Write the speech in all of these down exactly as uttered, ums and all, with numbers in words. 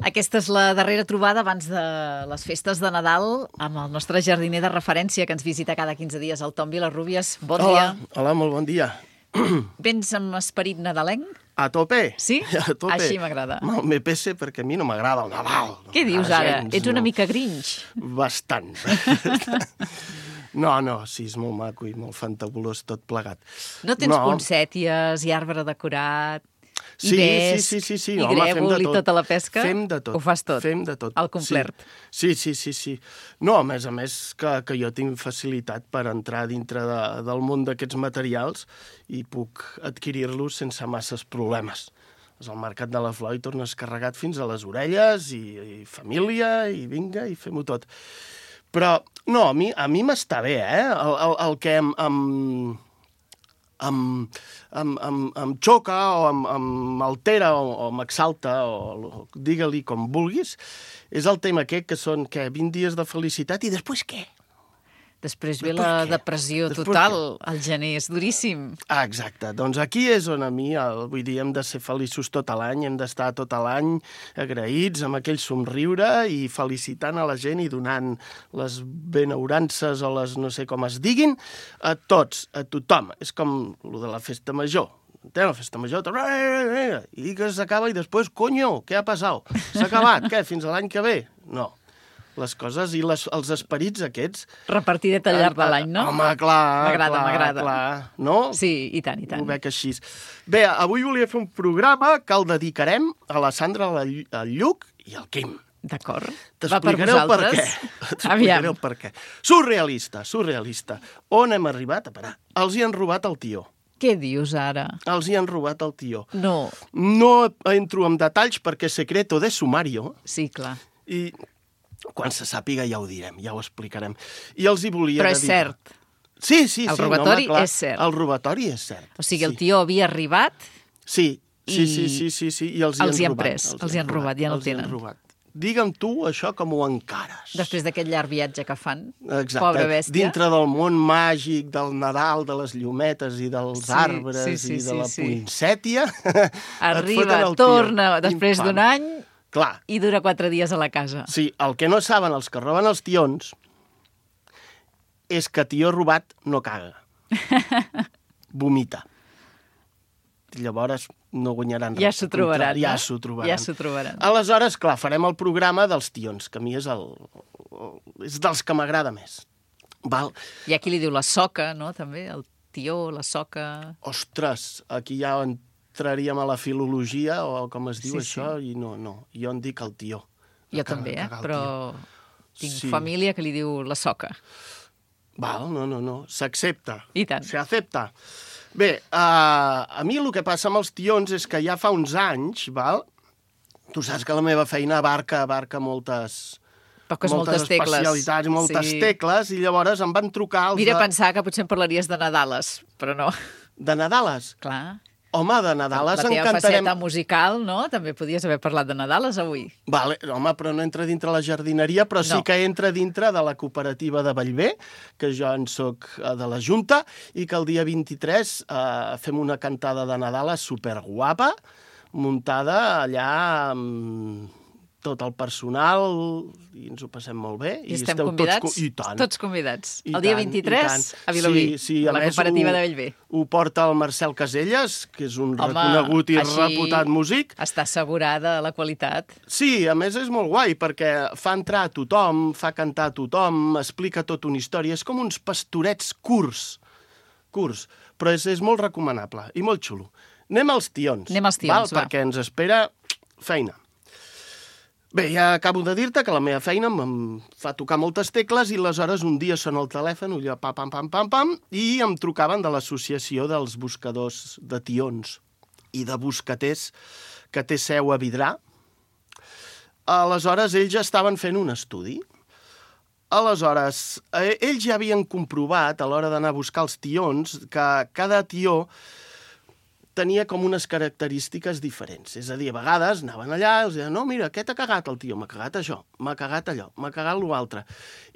Aquesta és la darrera trobada abans de les festes de Nadal amb el nostre jardiner de referència que ens visita cada quinze dies, el Tom Vilarrubias. Bon hola, dia. Hola, molt bon dia. Vens amb esperit nadalenc? A tope. Sí? A tope. Així m'agrada. Me pese perquè a mi no m'agrada el Nadal. Què dius ara? Gens, Ets una no. mica grinch. Bastant. No, no, sí, és molt maco i molt fantabulós tot plegat. No tens no. poncèties i arbre decorat? I sí, vesc, sí, sí, sí, i home, grèvol fem de i tot. tota la pesca? Fem de tot. Ho fas tot? Fem de tot. Al complet? Sí, sí, sí, sí. No, a més a més que, que jo tinc facilitat per entrar dintre de, del món d'aquests materials i puc adquirir-los sense masses problemes. Vas al mercat de la flor i tornes carregat fins a les orelles i, i família i vinga i fem-ho tot. Però, no, a mi a mi m'està bé, eh? El, el, el que em... em Em, em, em, em xoca o em, em altera o, o m'exalta o digue-li com vulguis, és el tema aquest que són que vint dies de felicitat i després què? Després ve després la què? depressió després total, què? al gener, és duríssim. Ah, exacte, doncs aquí és on a mi, el, vull dir, hem de ser feliços tot l'any, hem d'estar tot l'any agraïts amb aquell somriure i felicitant a la gent i donant les benaurances o les no sé com es diguin a tots, a tothom. És com el de la festa major. Té la festa major, i que s'acaba i després, conyo, què ha passat? S'ha acabat, què, fins a l'any que ve? No. Les coses i les, els esperits aquests... Repartidet al llarg de l'any, no? Home, clar, M'agrada, m'agrada. clar, no? Sí, i tant, i tant. Ho veig així. Bé, avui volia fer un programa que el dedicarem a la Sandra, al Lluc i al Quim. D'acord. T'explicaré el per què. T'explicaré el per què. Surrealista, surrealista. On hem arribat a parar? Els hi han robat el tió. Què dius ara? Els hi han robat el tió. No. No entro en detalls perquè secreto de sumario. Sí, clar. I... quan se sàpiga ja ho direm, ja ho explicarem. I els hi volia Però és dedicar. cert. Sí, sí, sí. El robatori no, home, és cert. El robatori és cert. O sigui, el sí. tio havia arribat... Sí, sí, i sí, sí, sí, sí. I els hi els han hi han robat. pres, els hi han robat, ja no el tenen. Digue'm tu això com ho encares. Després d'aquest llarg viatge que fan. Exacte. Pobra bèstia. Dintre del món màgic, del Nadal, de les llumetes i dels sí, arbres sí, sí, i de sí, la sí. poinsètia... Arriba, torna, després d'un any... Clar. I dura quatre dies a la casa. Sí, el que no saben els que roben els tions és que tió robat no caga. Vomita. Llavors no guanyaran res. Ja s'ho trobaran, Ja no? s'ho trobaran. Ja s'ho trobaran. Aleshores, clar, farem el programa dels tions, que a mi és, el, és dels que m'agrada més. Val? Hi ha qui li diu la soca, no?, també, el tió, la soca... Ostres, aquí ja entraríem a la filologia, o com es diu sí, això, sí. i no, no, jo en dic el tió. Jo també, eh? Però tinc sí. família que li diu la soca. Val, no, no, no, s'accepta. I tant. S'accepta. Bé, uh, a mi el que passa amb els tions és que ja fa uns anys, val? Tu saps que la meva feina abarca, abarca moltes... Poques, moltes, moltes tecles. especialitats, moltes sí. tecles, i llavors em van trucar els Mira, de... pensar que potser em parlaries de Nadales, però no. De Nadales? Clar. Home, de Nadales la teva encantarem... faceta musical, no? També podies haver parlat de Nadales avui. Vale, home, però no entra dintre la jardineria, però sí no. que entra dintre de la cooperativa de Bellver, que jo en soc de la Junta, i que el dia vint-i-tres eh, fem una cantada de Nadales superguapa, muntada allà amb tot el personal, i ens ho passem molt bé. I, I estem convidats? Tots, I tant. Tots convidats. I el dia tant, vint-i-tres a Vilobí, sí, sí, a la cooperativa de Bellver. Ho porta el Marcel Caselles, que és un Home, reconegut i així reputat músic. Està assegurada la qualitat. Sí, a més és molt guai, perquè fa entrar a tothom, fa cantar a tothom, explica tota una història. És com uns pastorets curts, curts, però és, és molt recomanable i molt xulo. Anem als tions. Anem als tions, val? va. Perquè ens espera feina. Bé, ja acabo de dir-te que la meva feina em fa tocar moltes tecles i aleshores un dia sona el telèfon, allò pam, pam, pam, pam, pam, i em trucaven de l'associació dels buscadors de tions i de buscaters que té seu a Vidrà. Aleshores, ells ja estaven fent un estudi. Aleshores, eh, ells ja havien comprovat a l'hora d'anar a buscar els tions que cada tió tenia com unes característiques diferents. És a dir, a vegades anaven allà i els deien, no, mira, què t'ha cagat el tio? M'ha cagat això, m'ha cagat allò, m'ha cagat l'altre.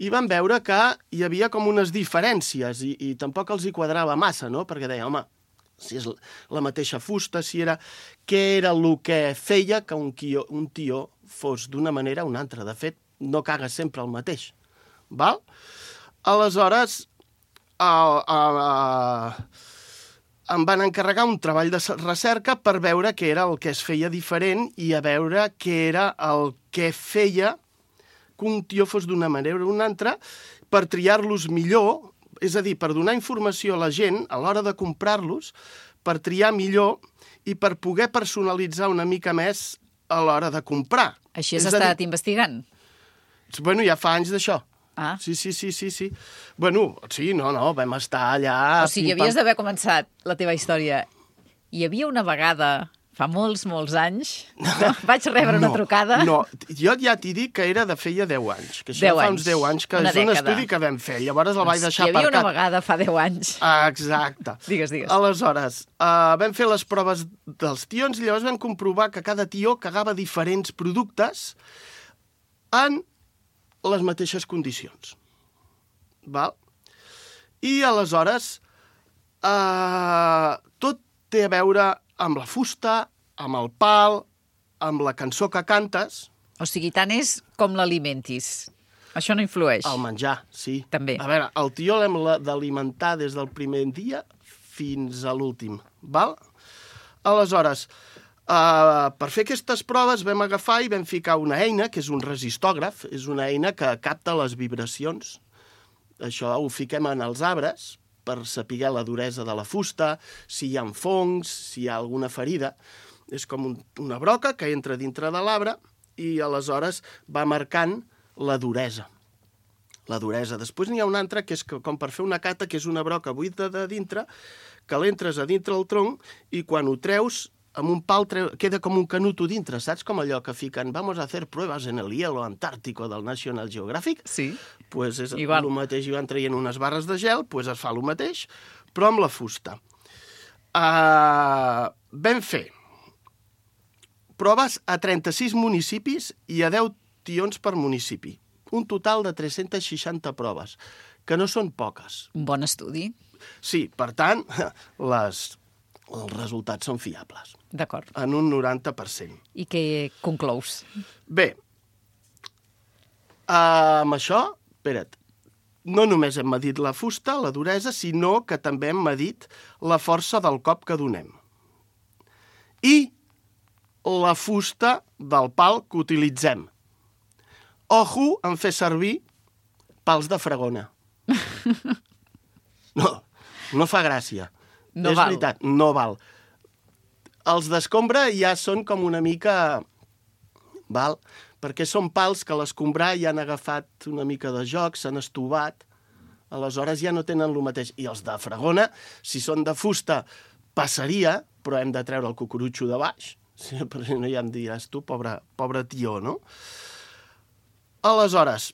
I van veure que hi havia com unes diferències i, i tampoc els hi quadrava massa, no? Perquè deia, home, si és la mateixa fusta, si era... Què era el que feia que un, tio, un tio fos d'una manera o una altra. De fet, no caga sempre el mateix. Val? Aleshores, uh, uh, em van encarregar un treball de recerca per veure què era el que es feia diferent i a veure què era el que feia que un tió fos d'una manera o una altra per triar-los millor, és a dir, per donar informació a la gent a l'hora de comprar-los, per triar millor i per poder personalitzar una mica més a l'hora de comprar. Així has estat dir... investigant? Bueno, ja fa anys d'això. Ah. Sí, sí, sí, sí, sí. Bueno, sí, no, no, vam estar allà... O sigui, havies d'haver començat la teva història. Hi havia una vegada, fa molts, molts anys, no? Vaig rebre no, una trucada... No, jo ja t'hi dic que era de feia deu anys, que això deu fa anys. uns deu anys, que Una és un dècada. estudi que vam fer, llavors el vaig deixar aparcat. Hi havia aparcat. una vegada fa deu anys. Ah, exacte. Digues, digues. Aleshores, uh, vam fer les proves dels tions i llavors vam comprovar que cada tió cagava diferents productes en les mateixes condicions. Val? I aleshores eh, tot té a veure amb la fusta, amb el pal, amb la cançó que cantes. O sigui, tant és com l'alimentis. Això no influeix. El menjar, sí. També. A veure, el tió l'hem d'alimentar des del primer dia fins a l'últim, val? Aleshores, Uh, per fer aquestes proves vam agafar i vam ficar una eina, que és un resistògraf, és una eina que capta les vibracions. Això ho fiquem en els arbres per saber la duresa de la fusta, si hi ha fongs, si hi ha alguna ferida. És com un, una broca que entra dintre de l'arbre i aleshores va marcant la duresa. La duresa. Després n'hi ha una altra que és que, com per fer una cata, que és una broca buida de dintre, que l'entres a dintre el tronc i quan ho treus amb un pal treu, queda com un canuto dintre, saps? Com allò que fiquen, vamos a hacer pruebas en el hielo antártico del National Geographic. Sí. Pues és Igual. el mateix, i van traient unes barres de gel, pues es fa el mateix, però amb la fusta. Uh, vam fer proves a trenta-sis municipis i a deu tions per municipi. Un total de tres-centes seixanta proves, que no són poques. Un bon estudi. Sí, per tant, les... els resultats són fiables. D'acord. En un noranta per cent. I què conclous? Bé, amb això, espera't, no només hem medit la fusta, la duresa, sinó que també hem medit la força del cop que donem. I la fusta del pal que utilitzem. Ojo en fer servir pals de fregona. No, no fa gràcia. No és val. veritat, no val. Els d'escombra ja són com una mica... Val? Perquè són pals que a l'escombrar ja han agafat una mica de joc, s'han estovat, aleshores ja no tenen el mateix. I els de fregona, si són de fusta, passaria, però hem de treure el cucurutxo de baix. Sí, perquè no ja em diràs tu, pobre, pobre tió, no? Aleshores,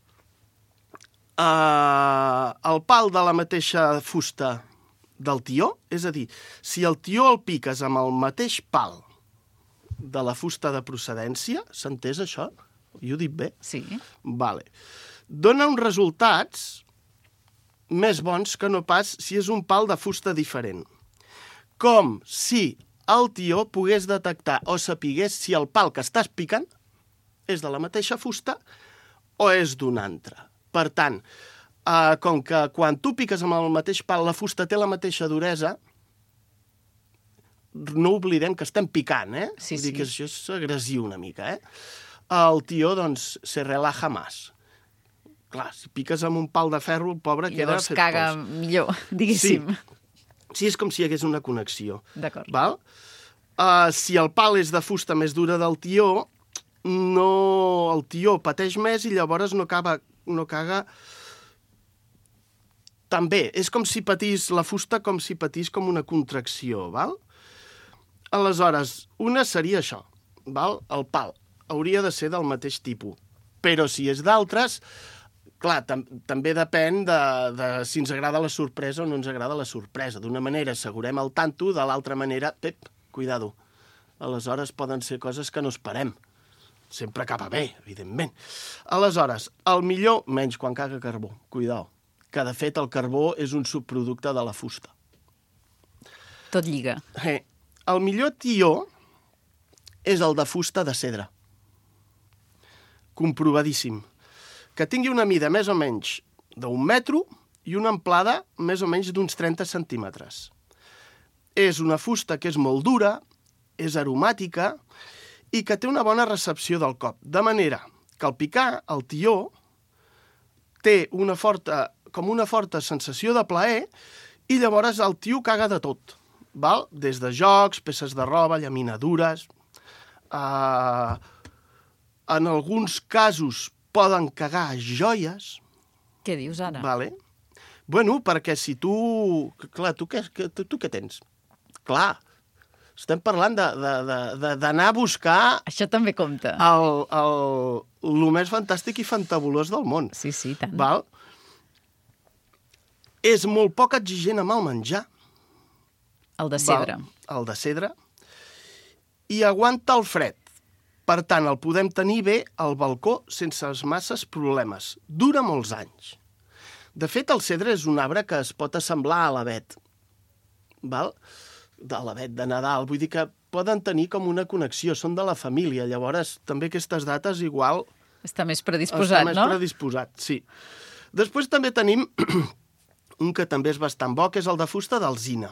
eh, el pal de la mateixa fusta del tió, és a dir, si el tió el piques amb el mateix pal de la fusta de procedència, s'ha entès això? Jo ho dic bé? Sí. Vale. Dona uns resultats més bons que no pas si és un pal de fusta diferent. Com si el tió pogués detectar o sapigués si el pal que estàs picant és de la mateixa fusta o és d'un altre. Per tant, Uh, com que quan tu piques amb el mateix pal la fusta té la mateixa duresa, no oblidem que estem picant, eh? Sí, Vull dir sí. que això és agressiu una mica, eh? El tió, doncs, se relaja més. Clar, si piques amb un pal de ferro, el pobre I queda llavors fet caga pols. millor, diguéssim. Sí. Sí, és com si hi hagués una connexió. D'acord. Val? Uh, si el pal és de fusta més dura del tió, no... el tió pateix més i llavors no, acaba, no caga... També, és com si patís la fusta, com si patís com una contracció, val? Aleshores, una seria això, val? El pal hauria de ser del mateix tipus, però si és d'altres, clar, tam també depèn de, de si ens agrada la sorpresa o no ens agrada la sorpresa. D'una manera assegurem el tanto, de l'altra manera, pep, cuidado. Aleshores poden ser coses que no esperem. Sempre acaba bé, evidentment. Aleshores, el millor, menys quan caga carbó, cuidao. Que, de fet, el carbó és un subproducte de la fusta. Tot lliga. Eh, el millor tió és el de fusta de cedre. comprovadíssim. Que tingui una mida més o menys d'un metro i una amplada més o menys d'uns trenta centímetres. És una fusta que és molt dura, és aromàtica i que té una bona recepció del cop. De manera que al picar, el tió té una forta, com una forta sensació de plaer i llavors el tio caga de tot. Val? Des de jocs, peces de roba, llaminadures. Uh, en alguns casos poden cagar joies. Què dius ara? Vale. Bueno, perquè si tu... Clar, tu què, tu, tu què tens? Clar, estem parlant d'anar a buscar... Això també compta. El, el, el més fantàstic i fantabulós del món. Sí, sí, tant. Val? És molt poc exigent amb el menjar. El de cedre. Val? El de cedre. I aguanta el fred. Per tant, el podem tenir bé al balcó sense masses problemes. Dura molts anys. De fet, el cedre és un arbre que es pot assemblar a l'avet. Val? De l'avet de Nadal. Vull dir que poden tenir com una connexió. Són de la família. Llavors, també aquestes dates igual... Està més predisposat, està més no? predisposat, sí. Després també tenim un que també és bastant bo, que és el de fusta d'alzina.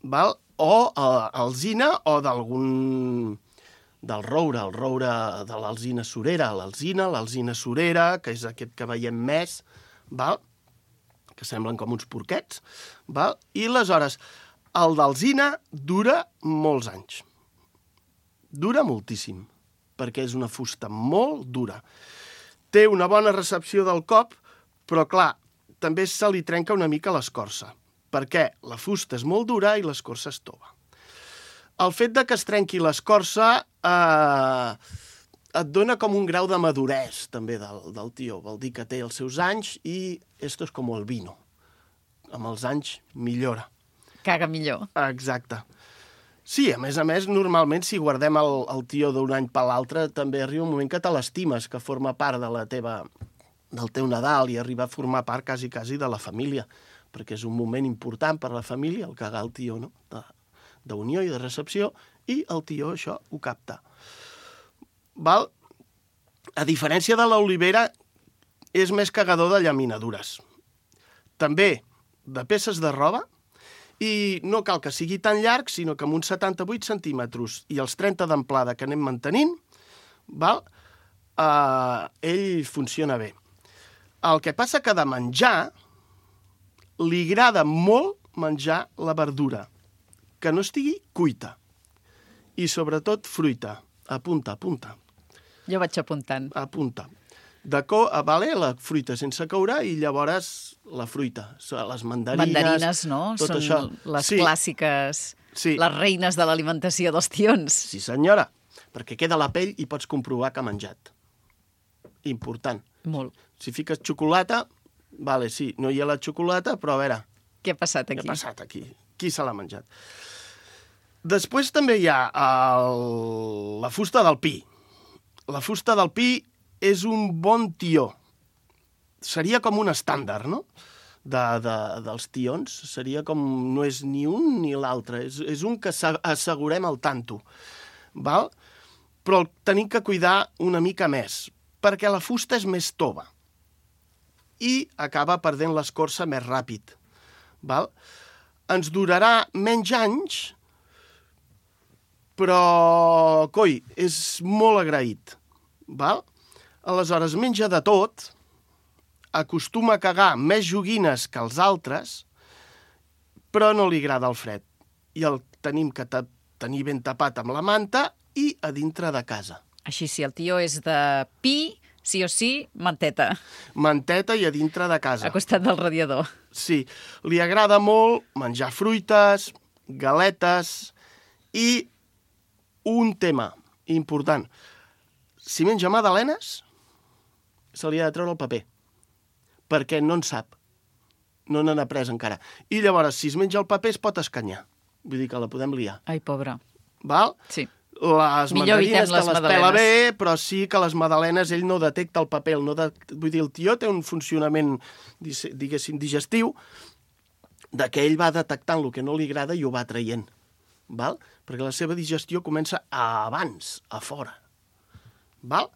Val? O uh, alzina o d'algun... del roure, el roure de l'alzina surera, l'alzina, l'alzina surera, que és aquest que veiem més, val? Que semblen com uns porquets, val? I aleshores, el d'alzina dura molts anys. Dura moltíssim, perquè és una fusta molt dura. Té una bona recepció del cop, però clar, també se li trenca una mica l'escorça, perquè la fusta és molt dura i l'escorça és tova. El fet de que es trenqui l'escorça eh, et dona com un grau de maduresa, també, del, del tió. Vol dir que té els seus anys i esto és com el vino. Amb els anys millora. Caga millor. Exacte. Sí, a més a més, normalment, si guardem el, el tió d'un any per l'altre, també arriba un moment que te l'estimes, que forma part de la teva, del teu Nadal i arriba a formar part quasi, quasi de la família, perquè és un moment important per a la família, el cagar el tió, no?, de, d'unió i de recepció, i el tió això ho capta. Val? A diferència de l'olivera, és més cagador de llaminadures. També de peces de roba, i no cal que sigui tan llarg, sinó que amb uns setanta-vuit centímetres i els trenta d'amplada que anem mantenint, val? Uh, ell funciona bé. El que passa que de menjar, li agrada molt menjar la verdura, que no estigui cuita. I sobretot fruita. Apunta, apunta. Jo vaig apuntant. Apunta. De co vale, la fruita sense coure i llavors la fruita. Les mandarines... Mandarines, no? Tot Són això. les Sí. clàssiques, Sí. les reines de l'alimentació dels tions. Sí, senyora. Perquè queda la pell i pots comprovar que ha menjat. Important. Molt. Si fiques xocolata, vale, sí, no hi ha la xocolata, però a veure, Què ha passat què aquí? ha passat aquí? Qui se l'ha menjat? Després també hi ha el... la fusta del pi. La fusta del pi és un bon tió. Seria com un estàndard, no?, de, de, dels tions. Seria com... no és ni un ni l'altre. És, és un que assegurem al tanto. Val? Però el tenim que cuidar una mica més, perquè la fusta és més tova i acaba perdent l'escorça més ràpid. Val? Ens durarà menys anys, però, coi, és molt agraït. Val? Aleshores, menja de tot, acostuma a cagar més joguines que els altres, però no li agrada el fred. I el tenim que tenir ben tapat amb la manta i a dintre de casa. Així, si el tió és de pi, sí o sí, manteta, Manteta i a dintre de casa. a costat del radiador. Sí, li agrada molt menjar fruites, galetes i un tema important. Si menja magdalenes, se li ha de treure el paper, perquè no en sap. No n'han après encara. I llavors, si es menja el paper, es pot escanyar. Vull dir que la podem liar. Ai, pobra. Val? Sí. Les Millor mandarines evitem te les les pela magdalenes. bé, però sí que les magdalenes ell no detecta el paper. El no de... Vull dir, el tió té un funcionament, diguéssim, digestiu, de que ell va detectant el que no li agrada i ho va traient. Val? Perquè la seva digestió comença abans, a fora. Val?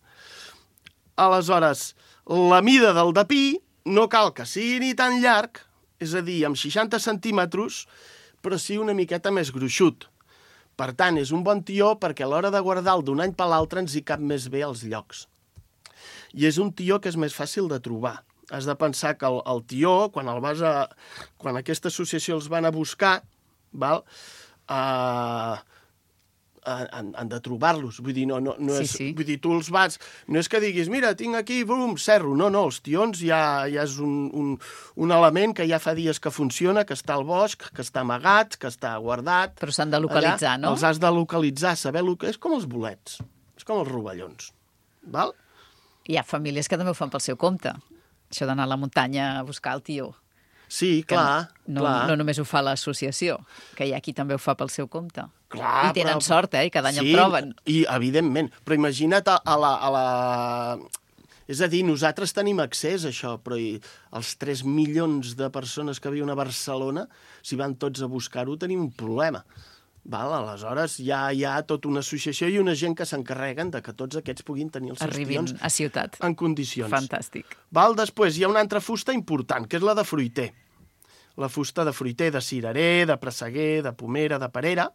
Aleshores, la mida del dapí no cal que sigui ni tan llarg, és a dir, amb seixanta centímetres, però sí una miqueta més gruixut. Per tant, és un bon tió perquè a l'hora de guardar-lo d'un any per l'altre ens hi cap més bé als llocs. I és un tió que és més fàcil de trobar. Has de pensar que el, el tió, quan, el vas a, quan aquesta associació els van a buscar, val, uh, han, han de trobar-los. Vull dir, no, no, no Sí, és, sí. vull dir, tu els vas... No és que diguis, mira, tinc aquí, brum, cerro. No, no, els tions ja, ja és un, un, un element que ja fa dies que funciona, que està al bosc, que està amagat, que està guardat. Però s'han de localitzar, allà, no? Els has de localitzar, saber... Lo que... És com els bolets, és com els rovellons. Val? Hi ha famílies que també ho fan pel seu compte. Això d'anar a la muntanya a buscar el tió. Sí, Que clar, no, clar. no només ho fa l'associació, que hi ha qui també ho fa pel seu compte. Clar, I tenen però... sort, eh? I cada any sí, el troben. I, evidentment. Però imagina't a, a, la, a la... És a dir, nosaltres tenim accés a això, però i els tres milions de persones que viuen a Barcelona, si van tots a buscar-ho, tenim un problema. Val? Aleshores, hi ha, hi ha tota una associació i una gent que s'encarreguen de que tots aquests puguin tenir els seus Arribin tions a ciutat. en condicions. Fantàstic. Val? Després hi ha una altra fusta important, que és la de fruiter. La fusta de fruiter, de cirerer, de presseguer, de pomera, de perera,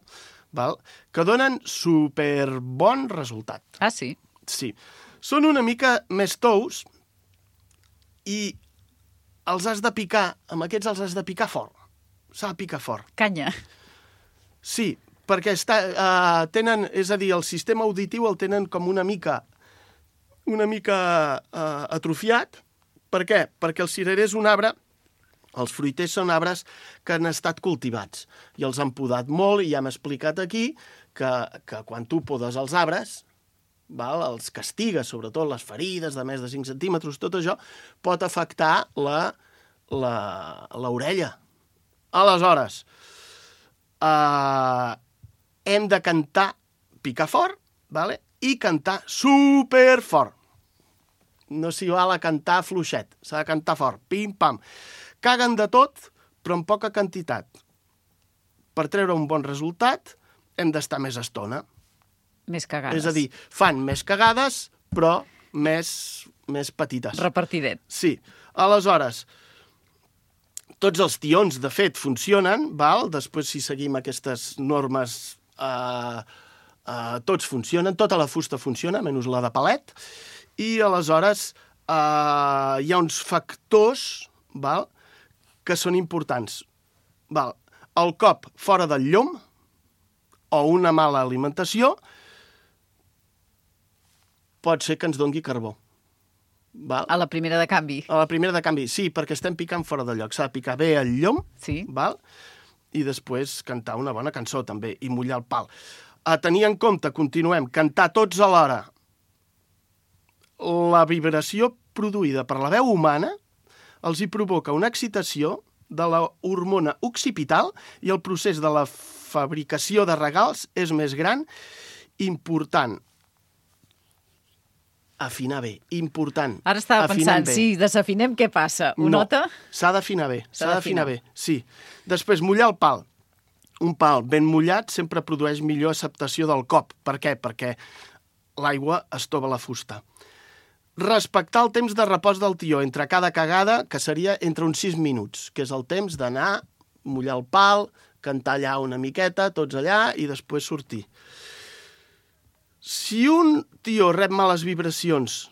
val? Que donen superbon resultat. Ah, sí? Sí. Són una mica més tous i els has de picar, amb aquests els has de picar fort. S'ha de picar fort. Canya. Sí, perquè està, uh, tenen, és a dir, el sistema auditiu el tenen com una mica, una mica uh, atrofiat. Per què? Perquè el cirerer és un arbre, els fruiters són arbres que han estat cultivats i els han podat molt i ja hem explicat aquí que, que quan tu podes els arbres, val, els castigues, sobretot les ferides de més de cinc centímetres, tot això pot afectar la, la, l'orella. Aleshores, Uh, hem de cantar, picar fort, vale? I cantar superfort. No s'hi val a cantar fluixet, s'ha de cantar fort, pim-pam. Caguen de tot, però en poca quantitat. Per treure un bon resultat, hem d'estar més estona. Més cagades. És a dir, fan més cagades, però més, més petites. Repartidet. Sí. Aleshores, tots els tions, de fet, funcionen, val? Després, si seguim aquestes normes, eh, eh, tots funcionen, tota la fusta funciona, menys la de palet, i aleshores eh, hi ha uns factors, val? Que són importants. Val? El cop fora del llom o una mala alimentació pot ser que ens dongui carbó. Val? A la primera de canvi. A la primera de canvi, sí, perquè estem picant fora de lloc. S'ha de picar bé el llom, Sí. val? I després cantar una bona cançó, també, i mullar el pal. A tenir en compte, continuem, cantar tots alhora. La vibració produïda per la veu humana els hi provoca una excitació de la hormona occipital i el procés de la fabricació de regals és més gran, important. Afinar bé, important. Ara estava afinar pensant, bé. si desafinem, què passa? Ho No, nota? s'ha d'afinar bé, S'ha s'ha d'afinar d'afinar. bé, sí. Després, mullar el pal. Un pal ben mullat sempre produeix millor acceptació del cop. Per què? Perquè l'aigua estova la fusta. Respectar el temps de repòs del tió entre cada cagada, que seria entre uns sis minuts, que és el temps d'anar, mullar el pal, cantar allà una miqueta, tots allà, i després sortir. Si un tió rep males vibracions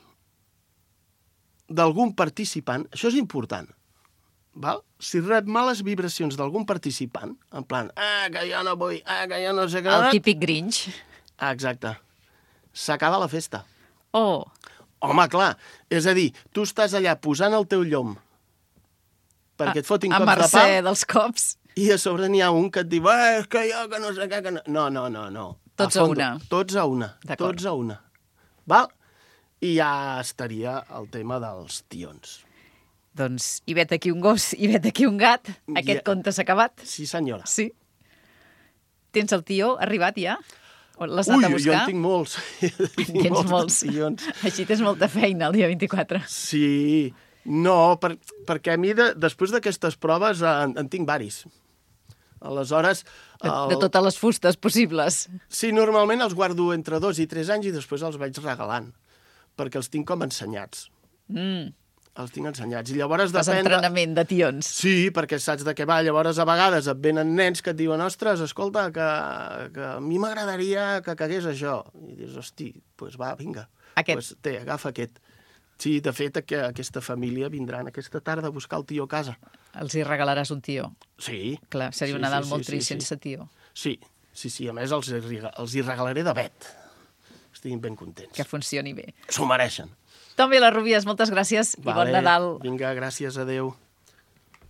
d'algun participant, això és important, val? Si rep males vibracions d'algun participant, en plan, ah, que jo no vull, ah, que jo no sé què... El típic Grinch. Ah, exacte. S'acaba la festa. Oh, Home, clar, és a dir, tu estàs allà posant el teu llom perquè et fotin a cops de mercè pal dels cops. i a sobre n'hi ha un que et diu eh, és que jo que no sé què... Que no. no, no, no, no. Tots a fondo, una. Tots a una. D'acord. Tots a una. Val? I ja estaria el tema dels tions. Doncs hi vet aquí un gos, hi vet aquí un gat. Aquest Ja. conte s'ha acabat? Sí, senyora. Sí. Tens el tió arribat ja? O l'has Ui, anat a jo buscar? en tinc molts. tinc Tens molts. molts. Tions. Així tens molta feina el dia vint-i-quatre. Sí. No, per, perquè a mi, de, després d'aquestes proves, en, en tinc varis. Aleshores... De, de totes les fustes possibles. Sí, normalment els guardo entre dos i tres anys i després els vaig regalant. perquè els tinc com ensenyats. Mm. Els tinc ensenyats. I llavors Fas depèn... entrenament de tions. Sí, perquè saps de què va. Llavors, a vegades et venen nens que et diuen ostres, escolta, que, que a mi m'agradaria que cagués això. I dius, hosti, doncs pues va, vinga. Aquest. Pues té, agafa aquest. Sí, de fet, que aquesta família vindran aquesta tarda a buscar el tio a casa. Els hi regalaràs un tió. Sí. Clar, seria sí, un Nadal sí, molt sí, trist sí, sense tió. Sí, sí, sí. A més, els, els hi regalaré de vet. Estiguin ben contents. Que funcioni bé. S'ho mereixen. Tom Vilarrubias, moltes gràcies Vale, i bon Nadal. Vinga, gràcies, adeu.